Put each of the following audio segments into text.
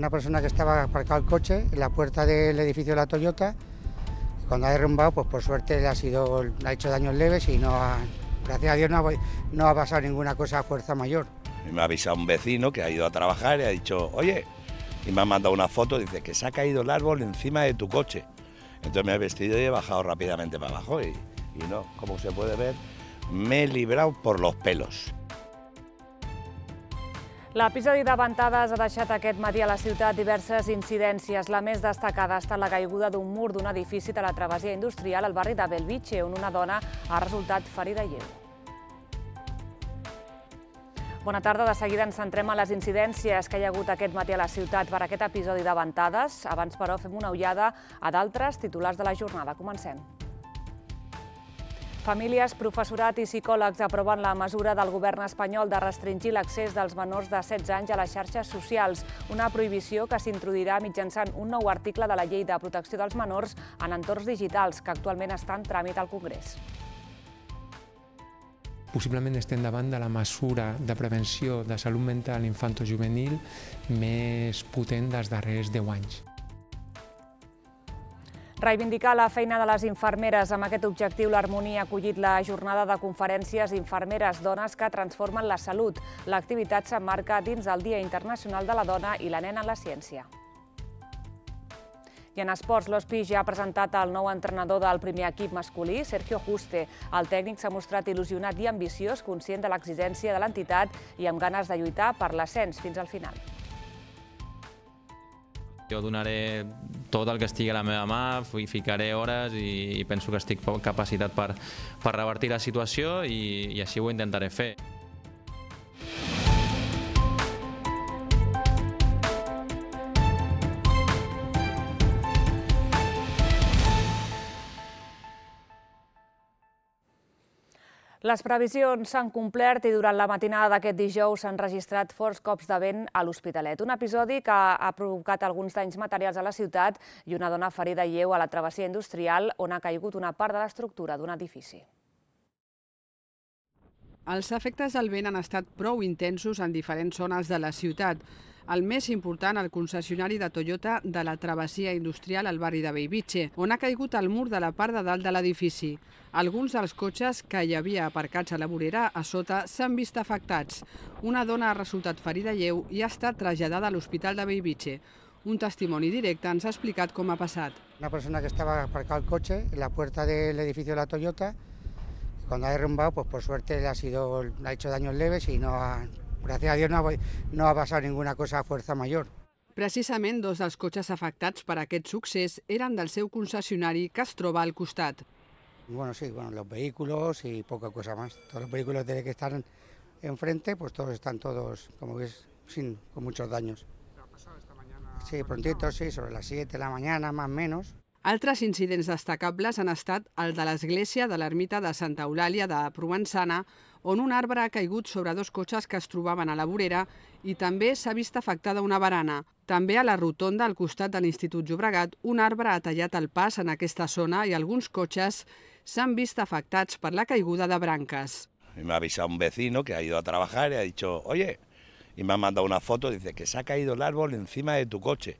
Una persona que estaba aparcado el coche en la puerta del edificio de la Toyota, cuando ha derrumbado, pues por suerte le ha hecho daños leves y gracias a Dios no ha pasado ninguna cosa a fuerza mayor. Me ha avisado un vecino que ha ido a trabajar y ha dicho, oye, y me ha mandado una foto, dice que se ha caído el árbol encima de tu coche. Entonces me he vestido y he bajado rápidamente para abajo y no, como se puede ver, me he librado por los pelos. L'episodi de ventades ha deixat aquest matí a la ciutat diverses incidències. La més destacada ha estat la caiguda d'un mur d'un edifici de la travessia industrial al barri de Bellvitge, on una dona ha resultat ferida lleu. Bona tarda, de seguida ens centrem en les incidències que hi ha hagut aquest matí a la ciutat per aquest episodi de ventades. Abans, però, fem una ullada a d'altres titulars de la jornada. Comencem. Famílies, professorat i psicòlegs aproven la mesura del govern espanyol de restringir l'accés dels menors de 16 anys a les xarxes socials, una prohibició que s'introduirà mitjançant un nou article de la Llei de Protecció dels Menors en entorns digitals, que actualment està en tràmit al Congrés. Possiblement estem davant de la mesura de prevenció de salut mental infantojuvenil més potent dels darrers 10 anys. Reivindicar la feina de les infermeres. Amb aquest objectiu, l'Harmonia ha acollit la jornada de conferències Infermeres Dones que transformen la salut. L'activitat s'emmarca dins el Dia Internacional de la Dona i la Nena en la Ciència. I en esports, l'Hospí ja ha presentat el nou entrenador del primer equip masculí, Sergio Juste. El tècnic s'ha mostrat il·lusionat i ambiciós, conscient de l'exigència de l'entitat i amb ganes de lluitar per l'ascens fins al final. Jo donaré tot el que estigui a la meva mà, ficaré hores i penso que estic capacitat per revertir la situació i així ho intentaré fer. Les previsions s'han complert i durant la matinada d'aquest dijous s'han registrat forts cops de vent a l'Hospitalet. Un episodi que ha provocat alguns danys materials a la ciutat i una dona ferida lleu a la travessia industrial on ha caigut una part de l'estructura d'un edifici. Els efectes del vent han estat prou intensos en diferents zones de la ciutat. El més important, el concessionari de Toyota de la travessia industrial al barri de Bellvitge, on ha caigut el mur de la part de dalt de l'edifici. Alguns dels cotxes que hi havia aparcats a la vorera a sota s'han vist afectats. Una dona ha resultat ferida lleu i ha estat traslladada a l'Hospital de Bellvitge. Un testimoni directe ens ha explicat com ha passat. Una persona que estaba aparcado el coche en la puerta del edificio de la Toyota, cuando ha derrumbado, pues por suerte le ha hecho daños leves y gracias a Dios no ha pasado ninguna cosa a fuerza mayor. Precisament dos dels cotxes afectats per aquest succés eren del seu concessionari que es troba al costat. Bueno, sí, los vehículos y poca cosa más. Todos los vehículos que están enfrente, pues todos están como ves, con muchos daños. ¿Qué ha pasado esta mañana? Sí, prontito, sí, sobre las 7 de la mañana, más o menos. Altres incidents destacables han estat el de l'església de l'ermita de Santa Eulàlia de Provençana, on un arbre ha caigut sobre dos cotxes que es trobaven a la vorera i també s'ha vist afectada una barana. També a la rotonda al costat de l'Institut Llobregat, un arbre ha tallat el pas en aquesta zona i alguns cotxes s'han vist afectats per la caiguda de branques. Me ha avisado un vecino que ha ido a trabajar y ha dicho, oye, y me ha mandado una foto, dice que se ha caído el árbol encima de tu coche.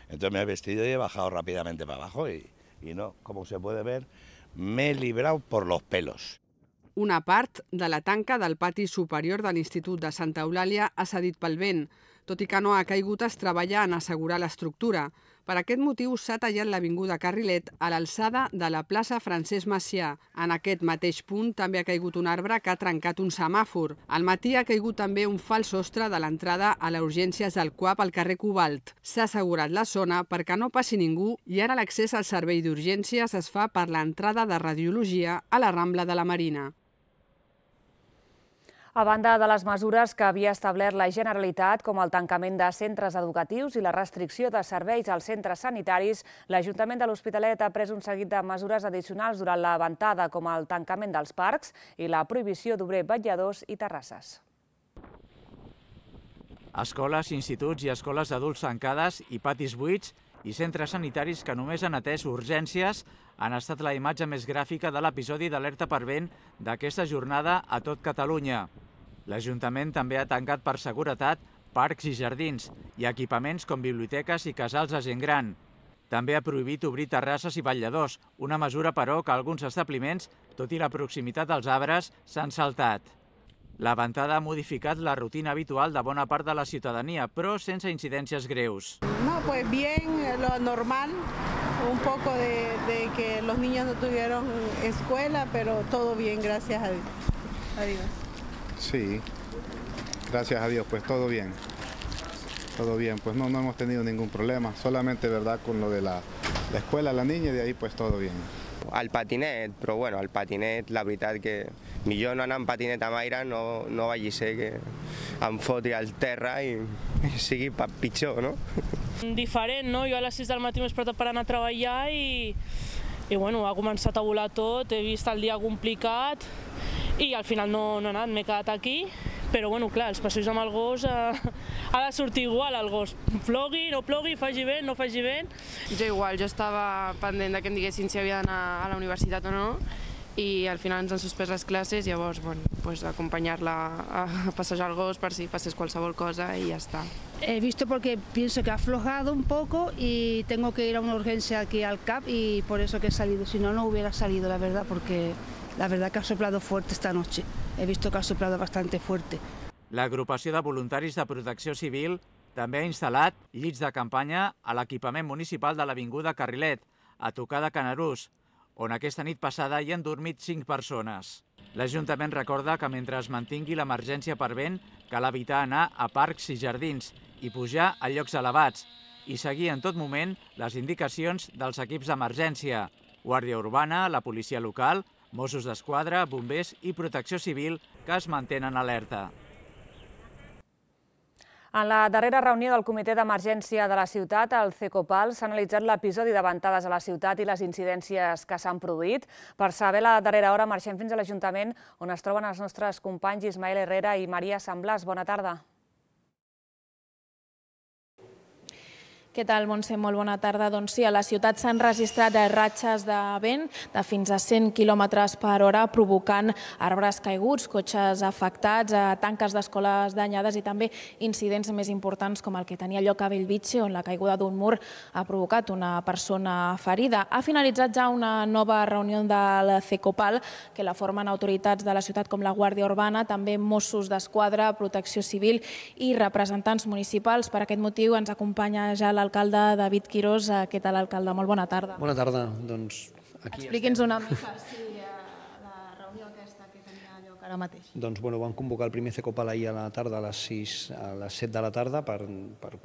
Entonces me he vestido y he bajado rápidamente para abajo y no, como se puede ver, me he librado por los pelos. Una part de la tanca del pati superior de l'Institut de Santa Eulàlia ha cedit pel vent. Tot i que no ha caigut, es treballa en assegurar l'estructura. Per aquest motiu s'ha tallat l'avinguda Carrilet a l'alçada de la plaça Francesc Macià. En aquest mateix punt també ha caigut un arbre que ha trencat un semàfor. Al matí ha caigut també un fals sostre de l'entrada a les urgències del CUAP al carrer Cobalt. S'ha assegurat la zona perquè no passi ningú i ara l'accés al servei d'urgències es fa per l'entrada de radiologia a la Rambla de la Marina. A banda de les mesures que havia establert la Generalitat, com el tancament de centres educatius i la restricció de serveis als centres sanitaris, l'Ajuntament de l'Hospitalet ha pres un seguit de mesures addicionals durant la ventada, com el tancament dels parcs i la prohibició d'obrir vetlladors i terrasses. Escoles, instituts i escoles d'adults tancades i patis buits i centres sanitaris que només han atès urgències han estat la imatge més gràfica de l'episodi d'alerta per vent d'aquesta jornada a tot Catalunya. L'Ajuntament també ha tancat per seguretat parcs i jardins i equipaments com biblioteques i casals de gent gran. També ha prohibit obrir terrasses i vetlladors, una mesura, però, que alguns establiments, tot i la proximitat dels arbres, s'han saltat. La ventada ha modificat la rutina habitual de bona part de la ciutadania, però sense incidències greus. No, pues bien, lo normal, un poco de que los niños no tuvieron escuela, pero todo bien, gracias a Dios. Sí, gracias a Dios, pues todo bien. Todo bien, pues no hemos tenido ningún problema, solamente verdad con lo de la escuela, la niña, y de ahí pues todo bien. Al patinet, però bueno, al patinet la veritat que millor no anar amb patinet amb aire, no vagi ser que em foti al terra i sigui pitjor, no? Diferent, no? Jo a les 6 del matí m'he despertat per anar a treballar i bueno, ha començat a volar tot, he vist el dia complicat i al final no he anat, m'he quedat aquí. Però, bueno, clar, els passeigs amb el gos ha de sortir igual, el gos. Plogui, no plogui, faci vent, no faci vent. Jo igual, jo estava pendent de que em diguessin si havia d'anar a la universitat o no i al final ens han suspès les classes, llavors, bueno, pues acompanyar-la a passejar el gos per si passés qualsevol cosa i ja està. He visto porque pienso que ha aflojado un poco y tengo que ir a una urgencia aquí al CAP y por eso que he salido, si no, no hubiera salido, la verdad, porque la verdad que ha soplado fuerte esta noche. He visto que ha soplado bastante fuerte. L'agrupació de voluntaris de protecció civil també ha instal·lat llits de campanya a l'equipament municipal de l'Avinguda Carrilet, a tocar de Canarús, on aquesta nit passada hi han dormit 5 persones. L'Ajuntament recorda que mentre es mantingui l'emergència per vent, cal evitar anar a parcs i jardins i pujar a llocs elevats i seguir en tot moment les indicacions dels equips d'emergència, Guàrdia Urbana, la policia local, Mossos d'Esquadra, bombers i protecció civil que es mantenen alerta. En la darrera reunió del Comitè d'Emergència de la ciutat, el CECOPAL, s'ha analitzat l'episodi de ventades a la ciutat i les incidències que s'han produït. Per saber la darrera hora marxem fins a l'Ajuntament, on es troben els nostres companys Ismael Herrera i Maria Samblàs. Bona tarda. Què tal, Montse? Molt bona tarda. Doncs sí, a la ciutat s'han registrat ratxes de vent de fins a 100 km per hora, provocant arbres caiguts, cotxes afectats, tanques d'escoles danyades i també incidents més importants com el que tenia lloc a Bellvitge, on la caiguda d'un mur ha provocat una persona ferida. Ha finalitzat ja una nova reunió del CECOPAL, que la formen autoritats de la ciutat com la Guàrdia Urbana, també Mossos d'Esquadra, Protecció Civil i representants municipals. Per aquest motiu ens acompanya ja l'alcalde David Quirós. Què tal, alcalde? Molt bona tarda. Bona tarda. Doncs aquí expliqui'ns una mica la reunió aquesta que tenia lloc ara mateix. Doncs vam convocar el primer CECOPAL ahir a la tarda, a les 7 de la tarda, per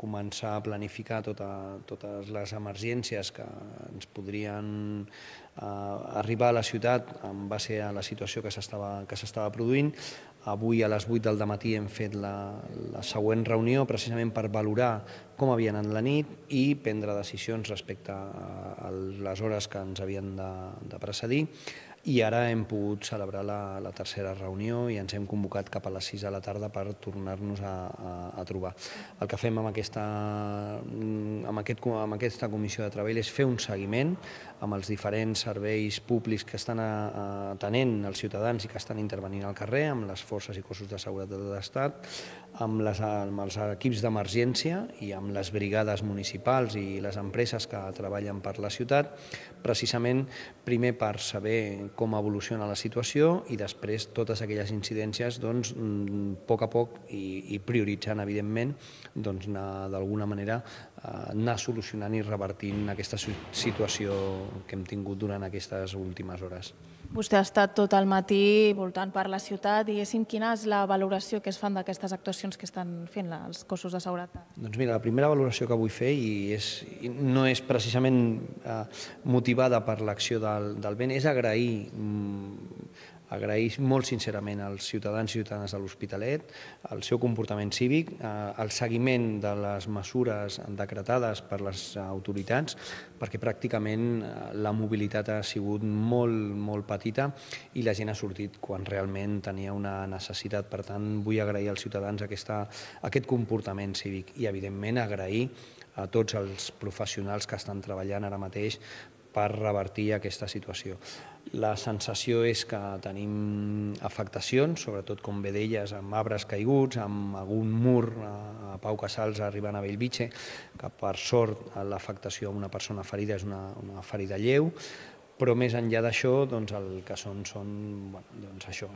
començar a planificar totes les emergències que ens podrien arribar a la ciutat en base a la situació que s'estava produint. Avui a les 8 del matí hem fet la següent reunió precisament per valorar com havia anat la nit i prendre decisions respecte a les hores que ens havien de precedir. I ara hem pogut celebrar la tercera reunió i ens hem convocat cap a les 6 de la tarda per tornar-nos a trobar. El que fem amb aquesta comissió de treball és fer un seguiment amb els diferents serveis públics que estan atenent els ciutadans i que estan intervenint al carrer, amb les forces i cossos de seguretat de l'Estat, amb els equips d'emergència i amb les brigades municipals i les empreses que treballen per la ciutat, precisament primer per saber com evoluciona la situació i després totes aquelles incidències, a poc a poc i prioritzant, evidentment, d'alguna manera anar solucionant i revertint aquesta situació que hem tingut durant aquestes últimes hores. Vostè ha estat tot el matí voltant per la ciutat i quina és la valoració que es fan d'aquestes actuacions que estan fent els cossos de seguretat? Doncs mira, la primera valoració que vull fer no és precisament motivada per l'acció del vent, és agrair molt sincerament als ciutadans i ciutadanes de l'Hospitalet el seu comportament cívic, el seguiment de les mesures decretades per les autoritats, perquè pràcticament la mobilitat ha sigut molt petita i la gent ha sortit quan realment tenia una necessitat. Per tant, vull agrair als ciutadans aquest comportament cívic i, evidentment, agrair a tots els professionals que estan treballant ara mateix per revertir aquesta situació. La sensació és que tenim afectacions, sobretot, com bé deies, amb arbres caiguts, amb algun mur a Pau Casals arribant a Bellvitge, que per sort l'afectació a una persona ferida és una ferida lleu, però més enllà d'això, el que són això,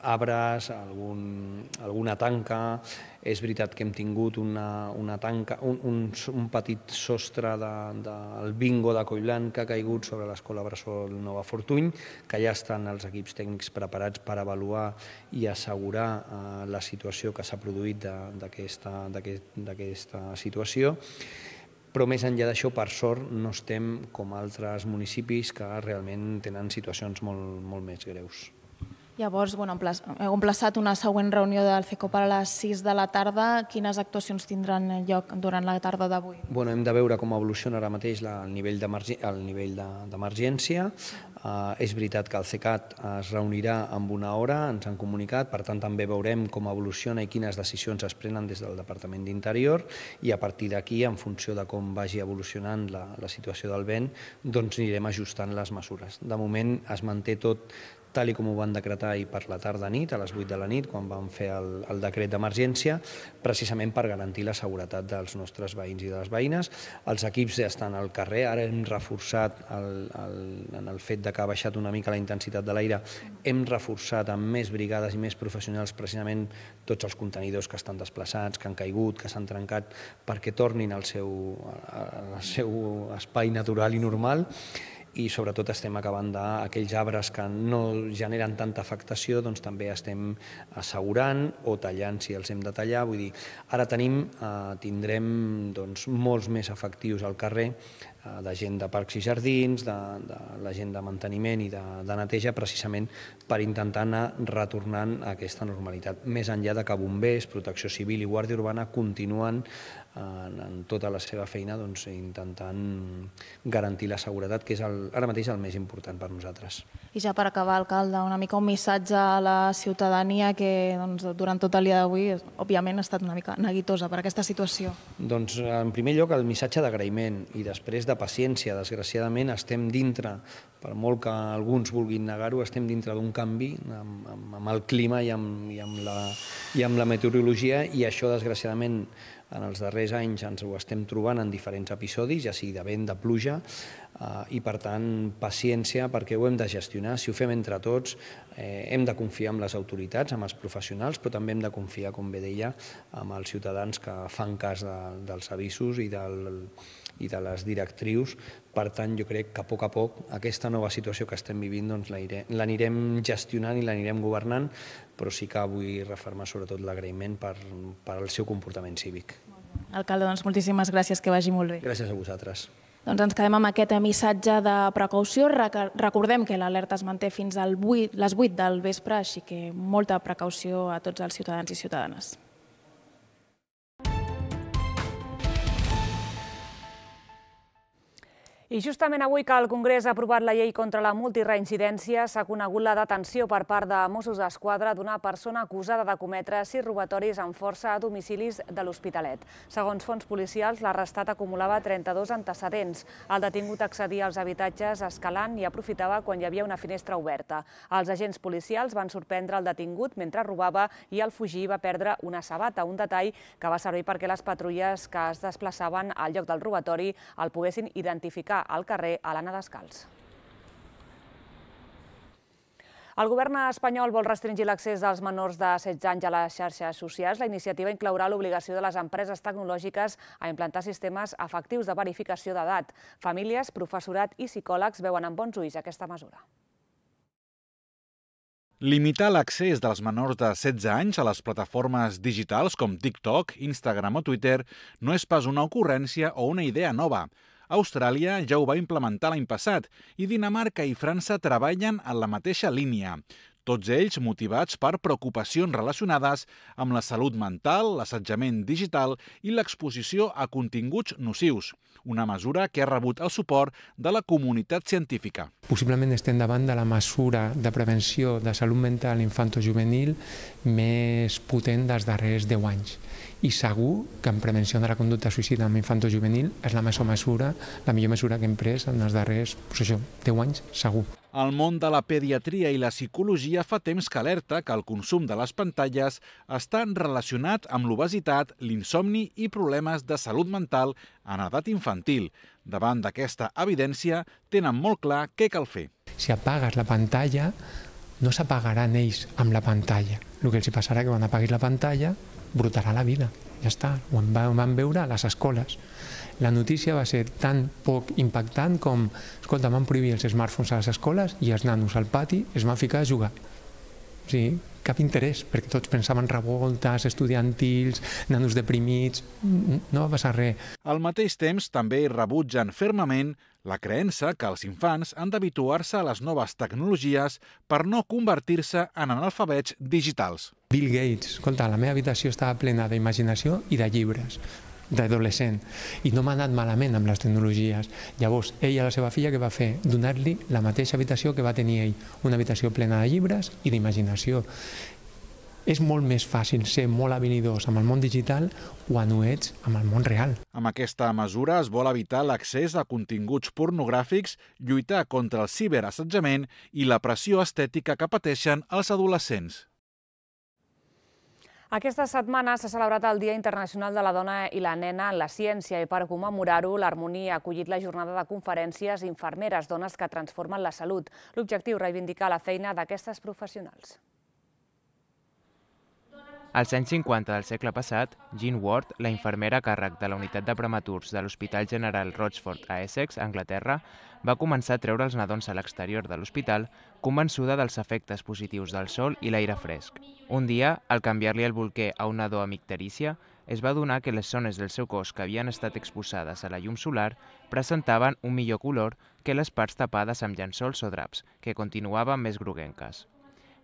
arbres, alguna tanca. És veritat que hem tingut una tanca, un petit sostre del bingo de Collblanc que ha caigut sobre l'escola bressol Nova Fortuny, que ja estan els equips tècnics preparats per avaluar i assegurar la situació que s'ha produït d'aquesta situació. Però més enllà d'això, per sort, no estem com altres municipis que realment tenen situacions molt més greus. Llavors, heu emplaçat una següent reunió del CECOP a les 6 de la tarda. Quines actuacions tindran lloc durant la tarda d'avui? Hem de veure com evoluciona ara mateix el nivell d'emergència. És veritat que el CECAT es reunirà en una hora, ens han comunicat, per tant també veurem com evoluciona i quines decisions es prenen des del Departament d'Interior, i a partir d'aquí, en funció de com vagi evolucionant la situació del vent, doncs anirem ajustant les mesures. De moment es manté tot tal com ho van decretar ahir per la tarda-nit, a les 8 de la nit, quan van fer el decret d'emergència, precisament per garantir la seguretat dels nostres veïns i de les veïnes. Els equips ja estan al carrer, ara hem reforçat, en el fet que ha baixat una mica la intensitat de l'aire, hem reforçat amb més brigades i més professionals precisament tots els contenidors que estan desplaçats, que han caigut, que s'han trencat, perquè tornin al seu espai natural i normal. I sobretot estem acabant d'aquells arbres que no generen tanta afectació, doncs també estem assegurant o tallant si els hem de tallar. Vull dir, ara tindrem molts més efectius al carrer, de gent de parcs i jardins, de la gent de manteniment i de neteja, precisament per intentar anar retornant a aquesta normalitat. Més enllà de que bombers, protecció civil i guàrdia urbana continuen en tota la seva feina intentant garantir la seguretat, que és ara mateix el més important per nosaltres. I ja per acabar, alcalde, una mica un missatge a la ciutadania que durant tot el dia d'avui, òbviament, ha estat una mica neguitosa per aquesta situació. Doncs, en primer lloc, el missatge d'agraïment i després de paciència. Desgraciadament, estem dintre, per molt que alguns vulguin negar-ho, estem dintre d'un canvi amb el clima i amb la meteorologia, i això, desgraciadament, en els darrers anys ens ho estem trobant en diferents episodis, ja sigui de vent, de pluja, i per tant paciència, perquè ho hem de gestionar. Si ho fem entre tots, hem de confiar en les autoritats, en els professionals, però també hem de confiar, com bé deia, en els ciutadans que fan cas dels avisos i de les directrius. Per tant, jo crec que a poc aquesta nova situació que estem vivint l'anirem gestionant i l'anirem governant, però sí que vull refermar sobretot l'agraïment per al seu comportament cívic. Alcalde, doncs moltíssimes gràcies, que vagi molt bé. Gràcies a vosaltres. Doncs ens quedem amb aquest missatge de precaució. Recordem que l'alerta es manté fins a les 8 del vespre, així que molta precaució a tots els ciutadans i ciutadanes. I justament avui que el Congrés ha aprovat la llei contra la multireincidència, s'ha conegut la detenció per part de Mossos d'Esquadra d'una persona acusada de cometre 6 robatoris amb força a domicilis de l'Hospitalet. Segons fonts policials, l'arrestat acumulava 32 antecedents. El detingut accedia als habitatges escalant i aprofitava quan hi havia una finestra oberta. Els agents policials van sorprendre el detingut mentre robava i al fugir va perdre una sabata, un detall que va servir perquè les patrulles que es desplaçaven al lloc del robatori el poguessin identificar al carrer a l'anar descalç. El govern espanyol vol restringir l'accés dels menors de 16 anys a les xarxes socials. La iniciativa inclourà l'obligació de les empreses tecnològiques a implantar sistemes efectius de verificació d'edat. Famílies, professorat i psicòlegs veuen amb bons ulls aquesta mesura. Limitar l'accés dels menors de 16 anys a les plataformes digitals com TikTok, Instagram o Twitter no és pas una ocurrència o una idea nova. Austràlia ja ho va implementar l'any passat i Dinamarca i França treballen en la mateixa línia. Tots ells motivats per preocupacions relacionades amb la salut mental, l'assetjament digital i l'exposició a continguts nocius, una mesura que ha rebut el suport de la comunitat científica. Possiblement estem davant de la mesura de prevenció de salut mental infantojuvenil més potent dels darrers 10 anys. I segur que en prevenció de la conducta suïcida amb infantojuvenil és la millor mesura que hem pres en els darrers 10 anys, segur. El món de la pediatria i la psicologia fa temps que alerta que el consum de les pantalles està relacionat amb l'obesitat, l'insomni i problemes de salut mental en edat infantil. Davant d'aquesta evidència, tenen molt clar què cal fer. Si apagues la pantalla, no s'apagaran ells amb la pantalla. El que els passarà que quan apaguis la pantalla, brotarà la vida. Ja està, ho van veure a les escoles. La notícia va ser tan poc impactant com, escolta, van prohibir els smartphones a les escoles i els nanos al pati es van ficar a jugar. O sigui, cap interès, perquè tots pensaven revoltes, estudiantils, nanos deprimits, no va passar res. Al mateix temps, també rebutgen fermament la creença que els infants han d'habituar-se a les noves tecnologies per no convertir-se en analfabets digitals. Bill Gates, escolta, la meva habitació estava plena d'imaginació i de llibres, d'adolescent, i no m'ha anat malament amb les tecnologies. Llavors, ell a la seva filla què va fer? Donar-li la mateixa habitació que va tenir ell, una habitació plena de llibres i d'imaginació. És molt més fàcil ser molt habilidós amb el món digital quan ho ets amb el món real. Amb aquesta mesura es vol evitar l'accés a continguts pornogràfics, lluitar contra el ciberassetjament i la pressió estètica que pateixen els adolescents. Aquesta setmana s'ha celebrat el Dia Internacional de la Dona i la Nena en la Ciència i per commemorar-ho l'Harmonia ha acollit la jornada de conferències Infermeres, dones que transformen la salut. L'objectiu, reivindicar la feina d'aquestes professionals. Als anys 50 del segle passat, Jean Ward, la infermera a càrrec de la unitat de prematurs de l'Hospital General Rochford a Essex, Anglaterra, va començar a treure els nadons a l'exterior de l'hospital, convençuda dels efectes positius del sol i l'aire fresc. Un dia, al canviar-li el bolquer a un nadó amb icterícia, es va adonar que les zones del seu cos que havien estat exposades a la llum solar presentaven un millor color que les parts tapades amb llençols o draps, que continuaven més groguenques.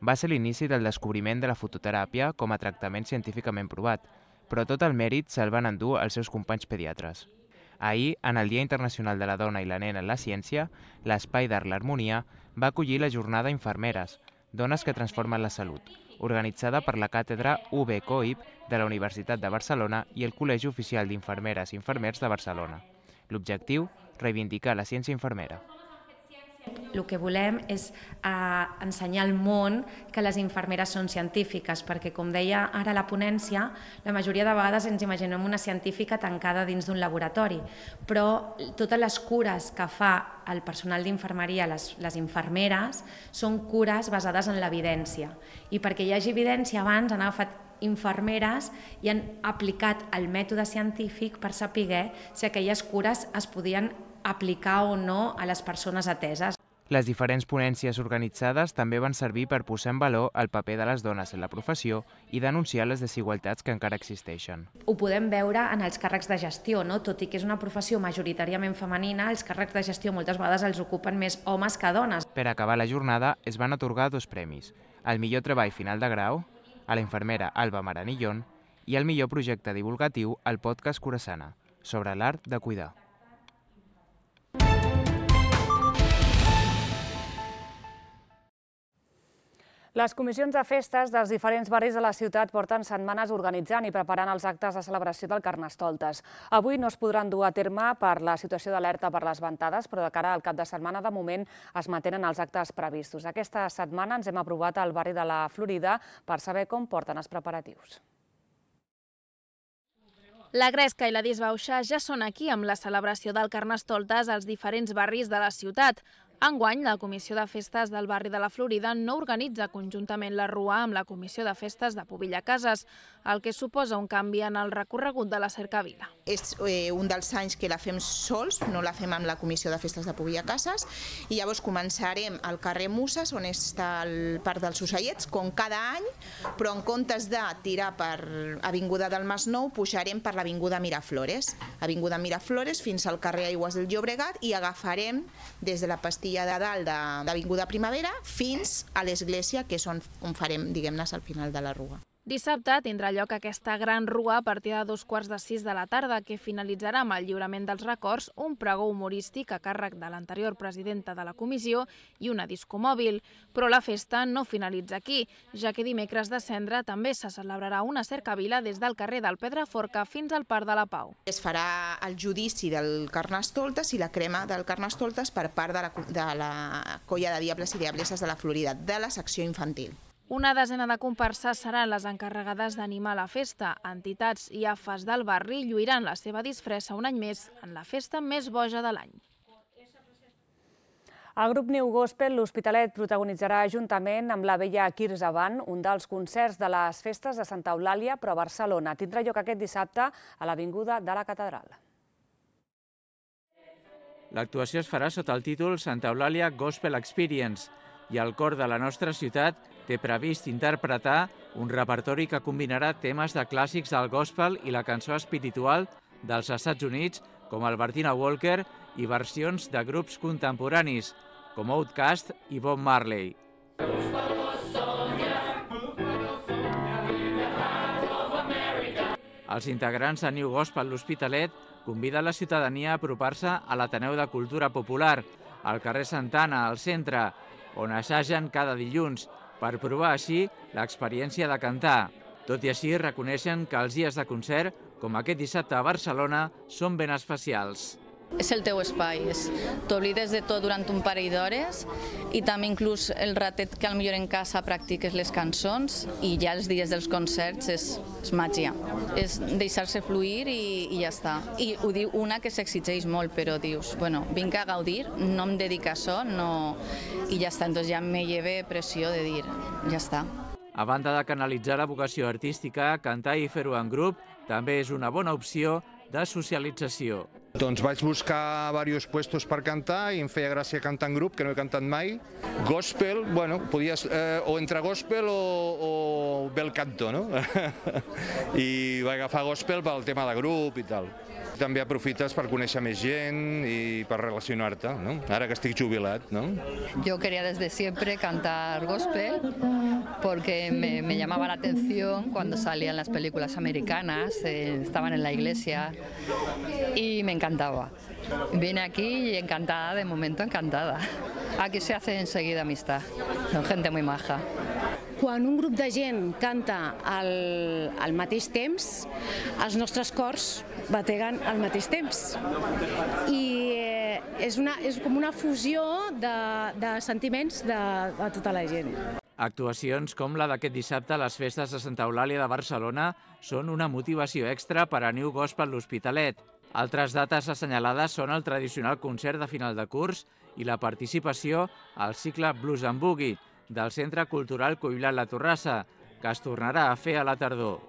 Va ser l'inici del descobriment de la fototeràpia com a tractament científicament provat, però tot el mèrit se'l van endur els seus companys pediatres. Ahir, en el Dia Internacional de la Dona i la Nena en la Ciència, l'Espai d'Art l'Harmonia va acollir la jornada Infermeres, dones que transformen la salut, organitzada per la càtedra UB COIP de la Universitat de Barcelona i el Col·legi Oficial d'Infermeres i Infermers de Barcelona. L'objectiu, reivindicar la ciència infermera. El que volem és ensenyar al món que les infermeres són científiques, perquè, com deia ara la ponència, la majoria de vegades ens imaginem una científica tancada dins d'un laboratori, però totes les cures que fa el personal d'infermeria, les infermeres, són cures basades en l'evidència. I perquè hi hagi evidència, abans han agafat infermeres i han aplicat el mètode científic per saber si aquelles cures es podien aplicar o no a les persones ateses. Les diferents ponències organitzades també van servir per posar en valor el paper de les dones en la professió i denunciar les desigualtats que encara existeixen. Ho podem veure en els càrrecs de gestió, no? Tot i que és una professió majoritàriament femenina, els càrrecs de gestió moltes vegades els ocupen més homes que dones. Per acabar la jornada es van atorgar 2 premis, el millor treball final de grau, a la infermera Alba Maranillón, i el millor projecte divulgatiu al podcast Curassana, sobre l'art de cuidar. Les comissions de festes dels diferents barris de la ciutat porten setmanes organitzant i preparant els actes de celebració del Carnestoltes. Avui no es podran dur a terme per la situació d'alerta per les ventades, però de cara al cap de setmana, de moment, es mantenen els actes previstos. Aquesta setmana ens hem aprovat al barri de la Florida per saber com porten els preparatius. La Gresca i la Disbauxa ja són aquí amb la celebració del Carnestoltes als diferents barris de la ciutat. Enguany, la Comissió de Festes del barri de la Florida no organitza conjuntament la Rua amb la Comissió de Festes de Pobilla Cases, el que suposa un canvi en el recorregut de la cercavila. És un dels anys que la fem sols, no la fem amb la Comissió de Festes de Pobilla Cases, i llavors començarem al carrer Muses, on està el Parc dels Ocellets, com cada any, però en comptes de tirar per Avinguda del Masnou, pujarem per l'Avinguda Miraflores. Avinguda Miraflores fins al carrer Aigües del Llobregat i agafarem des de la pastilla de dalt d'Avinguda Primavera fins a l'església, que és on farem, diguem-ne, al final de la Rua. Dissabte tindrà lloc aquesta gran rua a partir de 5:15 de la tarda, que finalitzarà amb el lliurament dels records, un pregó humorístic a càrrec de l'anterior presidenta de la comissió i una discomòbil. Però la festa no finalitza aquí, ja que dimecres de Cendra també se celebrarà una cercavila des del carrer del Pedraforca fins al Parc de la Pau. Es farà el judici del Carnestoltes i la crema del Carnestoltes per part de la colla de diables i diableses de la Florida, de la secció infantil. Una desena de comparses seran les encarregades d'animar la festa. Entitats i AFAs del barri lluiran la seva disfressa un any més en la festa més boja de l'any. El grup New Gospel L'Hospitalet protagonitzarà juntament amb la Vella Quirze Band un dels concerts de les festes de Santa Eulàlia, però a Barcelona. Tindrà lloc aquest dissabte a l'Avinguda de la Catedral. L'actuació es farà sota el títol Santa Eulàlia Gospel Experience i el cor de la nostra ciutat té previst interpretar un repertori que combinarà temes de clàssics del gospel i la cançó espiritual dels Estats Units, com Albertina Walker, i versions de grups contemporanis, com Outkast i Bob Marley. Els integrants de New Gospel L'Hospitalet conviden la ciutadania a apropar-se a l'Ateneu de Cultura Popular, al carrer Santana, al centre, on assagen cada dilluns, per provar així l'experiència de cantar. Tot i així, reconeixen que els dies de concert, com aquest dissabte a Barcelona, són ben especials. És el teu espai, t'oblides de tot durant un parell d'hores i també inclús el ratet que potser en casa practiques les cançons i ja els dies dels concerts és màgia. És deixar-se fluir i ja està. I ho diu una que s'exigeix molt, però dius, bueno, vinc a gaudir, no em dedico a això, no... i ja està. Entonces ja me lleve pressió de dir, ja està. A banda de canalitzar la vocació artística, cantar i fer-ho en grup també és una bona opció de socialització. Doncs vaig buscar diversos puestos per cantar i em feia gràcia cantar en grup, que no he cantat mai. Gospel, bueno, podies o entre gospel o bel canto, no? I vaig agafar gospel pel tema de grup i tal. També aprofites per conèixer més gent y per relacionar-te, ¿no? Ahora que estic jubilat, ¿no? Yo quería desde siempre cantar gospel porque me llamaba la atención cuando salían las películas americanas, estaban en la iglesia y me encantaba. Vine aquí y encantada, de momento encantada. Aquí se hace enseguida amistad, son gente muy maja. Quan un grup de gent canta al mateix temps, els nostres cors bateguen al mateix temps. I és com una fusió de sentiments de tota la gent. Actuacions com la d'aquest dissabte a les festes de Santa Eulàlia de Barcelona són una motivació extra per a New Gospel L'Hospitalet. Altres dates assenyalades són el tradicional concert de final de curs i la participació al cicle Blues and Boogie del Centre Cultural Cuilat La Torrassa, que es tornarà a fer a la tardor.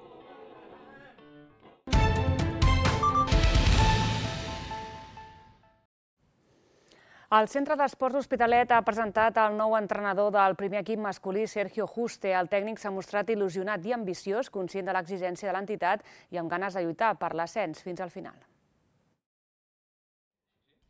El Centre d'Esports L'Hospitalet ha presentat el nou entrenador del primer equip masculí, Sergio Juste. El tècnic s'ha mostrat il·lusionat i ambiciós, conscient de l'exigència de l'entitat i amb ganes de lluitar per l'ascens fins al final.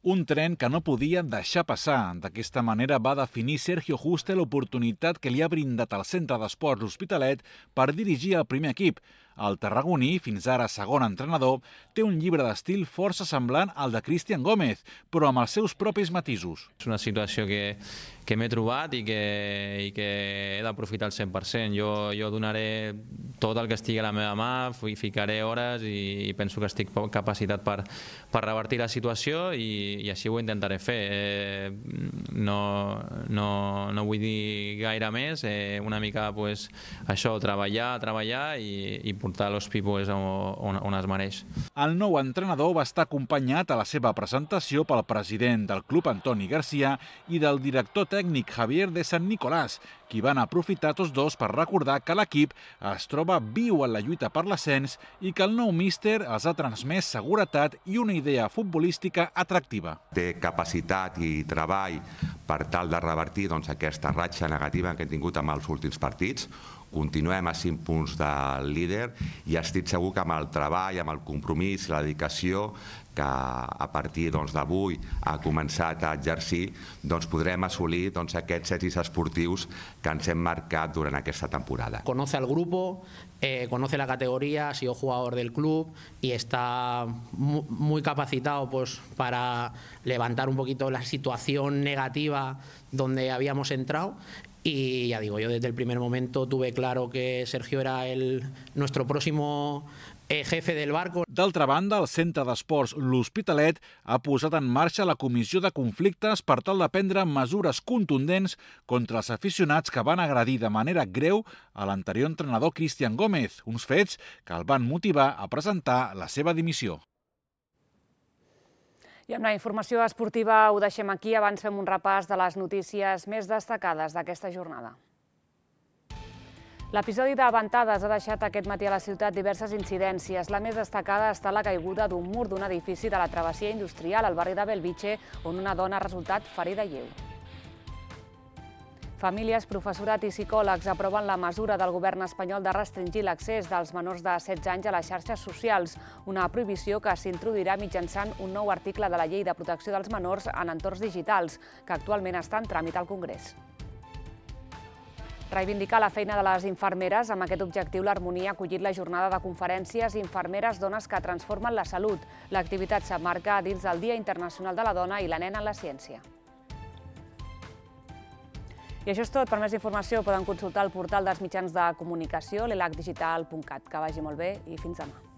Un tren que no podia deixar passar. D'aquesta manera va definir Sergio Juste l'oportunitat que li ha brindat el Centre d'Esports L'Hospitalet per dirigir el primer equip. El tarragoní, fins ara segon entrenador, té un llibre d'estil força semblant al de Cristian Gómez, però amb els seus propis matisos. És una situació que m'he trobat i que he d'aprofitar al 100%. Jo donaré tot el que estigui a la meva mà, ficaré hores i penso que estic capacitat per revertir la situació i així ho intentaré fer. No vull dir gaire més, una mica això, treballar i portar l'Hospi on es mereix. El nou entrenador va estar acompanyat a la seva presentació pel president del club, Antoni Garcia, i del director tècnic Javier de San Nicolás, qui van aprofitar tots dos per recordar que l'equip es troba viu en la lluita per l'ascens i que el nou míster els ha transmès seguretat i una idea futbolística atractiva. Té capacitat i treball per tal de revertir aquesta ratxa negativa que hem tingut amb els últims partits. continuem a 5 punts del líder i estic segur que amb el treball, amb el compromís i la dedicació que a partir d'avui ha començat a exercir, podrem assolir aquests èxits esportius que ens hem marcat durant aquesta temporada. Conoce al grupo, conoce la categoría, ha sido jugador del club y está muy capacitado para levantar un poquito la situación negativa donde habíamos entrado. Y ya digo, yo desde el primer momento tuve claro que Sergio era nuestro próximo jefe del barco. D'altra banda, el Centre d'Esports L'Hospitalet ha posat en marxa la Comissió de Conflictes per tal de prendre mesures contundents contra els aficionats que van agredir de manera greu a l'anterior entrenador Cristian Gómez, uns fets que el van motivar a presentar la seva dimissió. I amb la informació esportiva ho deixem aquí. Abans fem un repàs de les notícies més destacades d'aquesta jornada. L'episodi de ventades ha deixat aquest matí a la ciutat diverses incidències. La més destacada ha estat la caiguda d'un mur d'un edifici de la travessia industrial al barri de Belvitge, on una dona ha resultat ferida lleu. Famílies, professorat i psicòlegs aproven la mesura del govern espanyol de restringir l'accés dels menors de 16 anys a les xarxes socials, una prohibició que s'introduirà mitjançant un nou article de la Llei de Protecció dels Menors en entorns digitals, que actualment està en tràmit al Congrés. Reivindicar la feina de les infermeres. Amb aquest objectiu, l'Harmonia ha acollit la jornada de conferències Infermeres Dones que transformen la salut. L'activitat s'emmarca dins del Dia Internacional de la Dona i la Nena en la Ciència. I això és tot. Per més informació poden consultar el portal dels mitjans de comunicació, l'elacdigital.cat. Que vagi molt bé i fins demà.